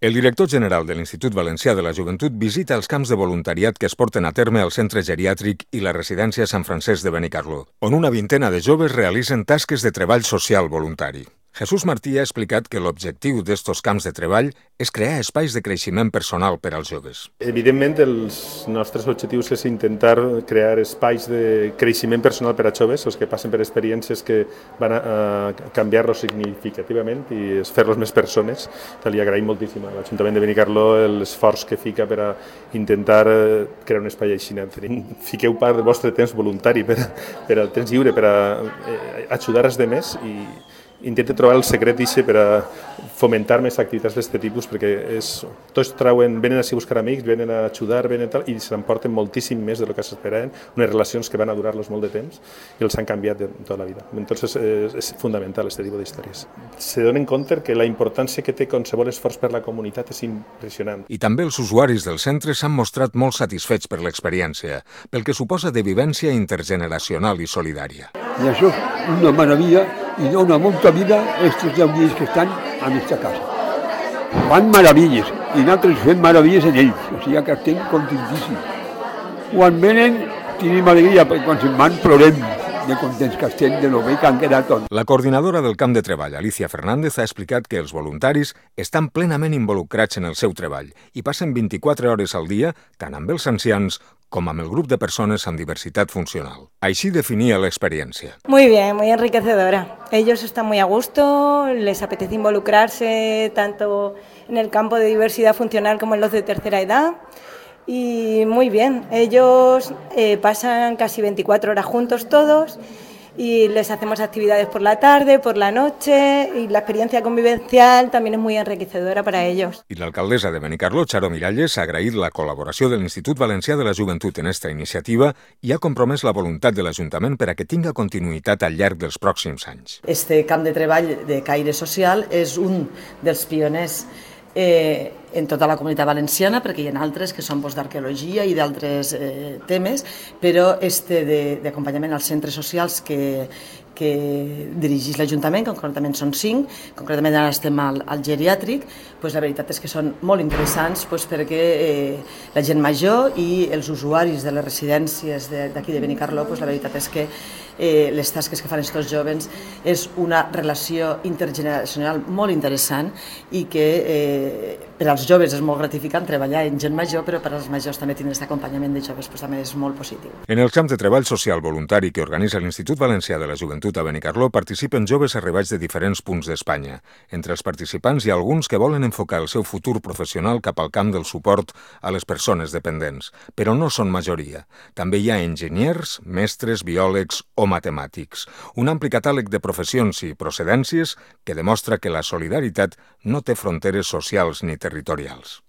El director general de l'Institut Valencià de la Joventut visita els camps de voluntariat que es porten a terme al Centre Geriàtric i la Residència Sant Francesc de Benicarló, on una vintena de joves realitzen tasques de treball social voluntari. Jesús Martí ha explicat que l'objectiu d'estos camps de treball és crear espais de creixement personal per als joves. Evidentment, els nostres objectius és intentar crear espais de creixement personal per a joves, els que passen per experiències que van a canviar-los significativament i fer-los més persones. Li agraïm moltíssim a l'Ajuntament de Benicarló l'esforç que fica per a intentar crear un espai així. Fiqueu part del vostre temps voluntari per al temps lliure, per a ajudar els altres i intenta trobar el secret per a fomentar més activitats d'aquest tipus, perquè tots venen a buscar amics, venen a ajudar, i se n'emporten moltíssim més del que s'esperaven, unes relacions que van a durar-los molt de temps i els han canviat de tota la vida. Entonces és fundamental aquest tipus d'històries. Se donen compte que la importància que té qualsevol esforç per la comunitat és impressionant. I també els usuaris del centre s'han mostrat molt satisfets per l'experiència, pel que suposa de vivència intergeneracional i solidària. I això és una meravella i dona molta vida a aquests 10 dies que estan a aquesta casa. Fan meravelles i nosaltres fem meravelles en ells, o sigui que estem contentíssims. Quan venen tenim alegria, perquè quan se'n van plorem de contents que estem de lo bé que han quedat tots. La coordinadora del camp de treball, Alicia Fernández, ha explicat que els voluntaris estan plenament involucrats en el seu treball i passen 24 hores al dia tant amb els ancians com amb el grup de persones amb diversitat funcional. Així definia l'experiència. Muy bien, muy enriquecedora. Ellos están muy a gusto, les apetece involucrarse tanto en el campo de diversidad funcional como en los de tercera edad. Y muy bien, ellos pasan casi 24 horas juntos todos y les hacemos actividades por la tarde, por la noche, y la experiencia convivencial también es muy enriquecedora para ellos. I l'alcaldessa de Benicarló, Charo Miralles, ha agraït la col·laboració de l'Institut Valencià de la Joventut en esta iniciativa i ha compromès la voluntat de l'Ajuntament per a que tinga continuïtat al llarg dels pròxims anys. Este camp de treball de caire social és un dels pioners en tota la comunitat valenciana, perquè hi ha altres que són d'arqueologia i d'altres temes, però d'acompanyament als centres socials que dirigeix l'Ajuntament, que concretament són 5, concretament ara estem al geriàtric, la veritat és que són molt interessants perquè la gent major i els usuaris de les residències d'aquí de Benicarló, la veritat és que les tasques que fan aquests joves és una relació intergeneracional molt interessant i que per als joves és molt gratificant treballar en gent major, però per als majors també tindre aquest acompanyament de joves també és molt positiu. En el camp de treball social voluntari que organitza l'Institut Valencià de la Joventut a Benicarló participen joves arribats de diferents punts d'Espanya. Entre els participants hi ha alguns que volen enfocar el seu futur professional cap al camp del suport a les persones dependents, però no són majoria. També hi ha enginyers, mestres, biòlegs o matemàtics. Un ampli catàleg de professions i procedències que demostra que la solidaritat no té fronteres socials ni territorials.